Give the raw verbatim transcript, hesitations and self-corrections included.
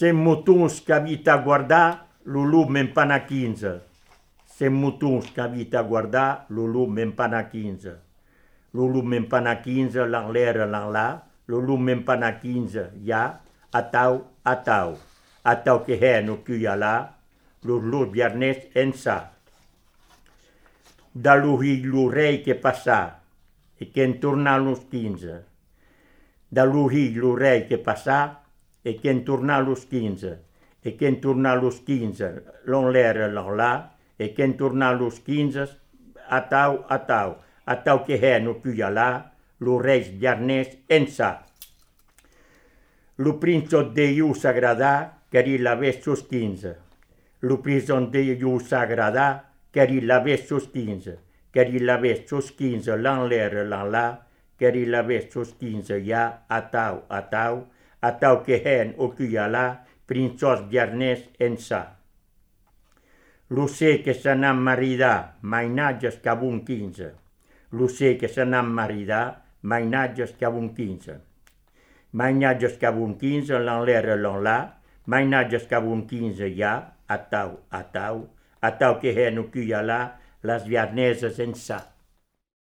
Sem motuns que habita a guardar, Lulu m'empana quinze. Sem motuns que habita a guardar, Lulu m'empana quinze. Lulu m'empana quinze, l'enlera, l'enlà, Lulu m'empana quinze, ja, atau, atau. Atau que é no cuyalá, Lulu viernes en sa. Da lui lu rei che passà, e che intorna los quinze. Da lui lu rei che passà, e che intorna los quinze. E che intorna los quinze, l'enlera, l'enlà, e che intorna los quinze, atau, atau. Atau que é no cuyalá, lu reis viernes en sa. Lu prinț de iu s'agradà, cari l'avès sus quinze. Lu prinț de iu s'agradà, cari l'avès sus quinze. Cari l'avès sus quinze, l'enlera, l'enlà, cari l'avès sus quinze, ja, atau, atau. Atau que é o cuyalá, prințos viernes en sa. Lu sé que se n'ha maridà, mainatges cabun quinze. Lu sé que se n'ha maridà, mainatges cabun quinze. Mainatges cabun quinze, l'enlera, l'enlà, mainatges cabun quinze, ja, atau, atau. Atau que é no cuyalá, les vierneses en sa.